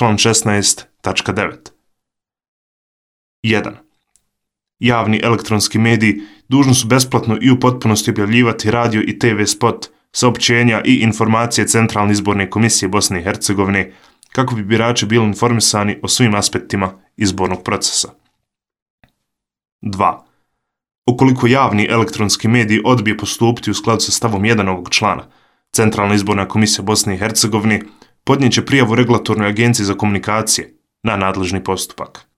član 16.9. 1. Javni elektronski mediji dužni su besplatno i u potpunosti objavljivati radio i TV spot, saopćenja i informacije Centralne izborne komisije Bosne i Hercegovine kako bi birači bili informisani o svim aspektima izbornog procesa. 2. Ukoliko javni elektronski medij odbije postupiti u skladu sa stavom 1 ovog člana, Centralna izborna komisija Bosne i Hercegovine podnijet će prijavu Regulatornoj agenciji za komunikacije na nadležni postupak.